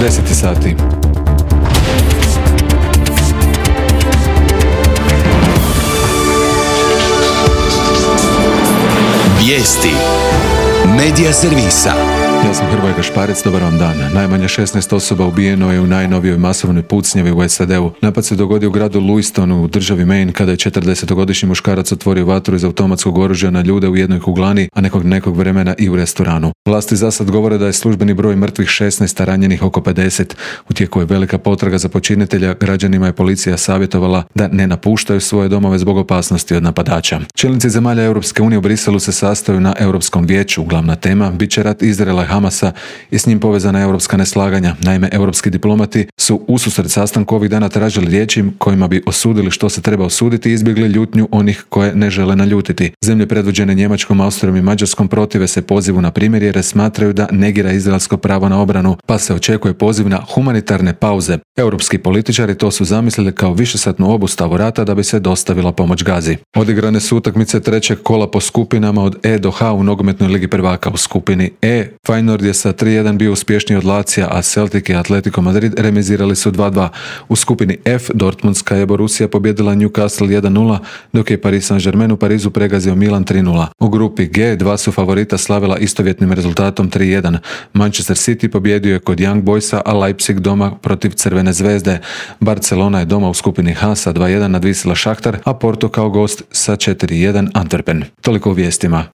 10 sati. Vijesti Medija servisa. Ja sam Hrvoje Gašparec, dobar vam dan. Najmanje 16 osoba ubijeno je u najnovijoj masovnoj pucnjavi u SAD-u. Napad se dogodio u gradu Louistonu u državi Maine kada je 40-godišnji muškarac otvorio vatru iz automatskog oružja na ljude u jednoj kuglani, a nekog vremena i u restoranu. Vlasti za sad govore da je službeni broj mrtvih 16, a ranjenih oko 50. U tijeku je velika potraga za počinitelja, građanima je policija savjetovala da ne napuštaju svoje domove zbog opasnosti od napadača. Čelnici zemalja Europske unije u Briselu se sastaju na Europskom vijeću. Glavna tema bit će rat Izraela i Hamasa i s njim povezana europska neslaganja. Naime, europski diplomati su ususret sastanku ovih dana tražili riječi kojima bi osudili što se treba osuditi i izbjegli ljutnju onih koje ne žele naljutiti. Zemlje predvođene Njemačkom, Austrijom i Mađarskom protive se pozivu na primirje jer smatraju da negira izraelsko pravo na obranu, pa se očekuje poziv na humanitarne pauze. Europski političari to su zamislili kao višesatnu obustavu rata da bi se dostavila pomoć Gazi. Odigrane su utakmice trećeg kola po skupinama od E do H u nogometnoj ligi prvaka. U skupini E Feyenoord je sa 3-1 bio uspješniji od Lazija, a Celtic i Atletico Madrid remizirali su 2-2. U skupini F Dortmundska je Borussia pobjedila Newcastle 1-0, dok je Paris Saint-Germain u Parizu pregazio Milan 3-0. U grupi G dva su favorita slavila istovjetnim rezultatom 3-1. Manchester City pobjedio je kod Young Boysa, a Leipzig doma protiv Crvene zvezde. Barcelona je doma u skupini H sa 2-1 nadvisila Šahtar, a Porto kao gost sa 4-1 Antwerpen. Toliko u vijestima.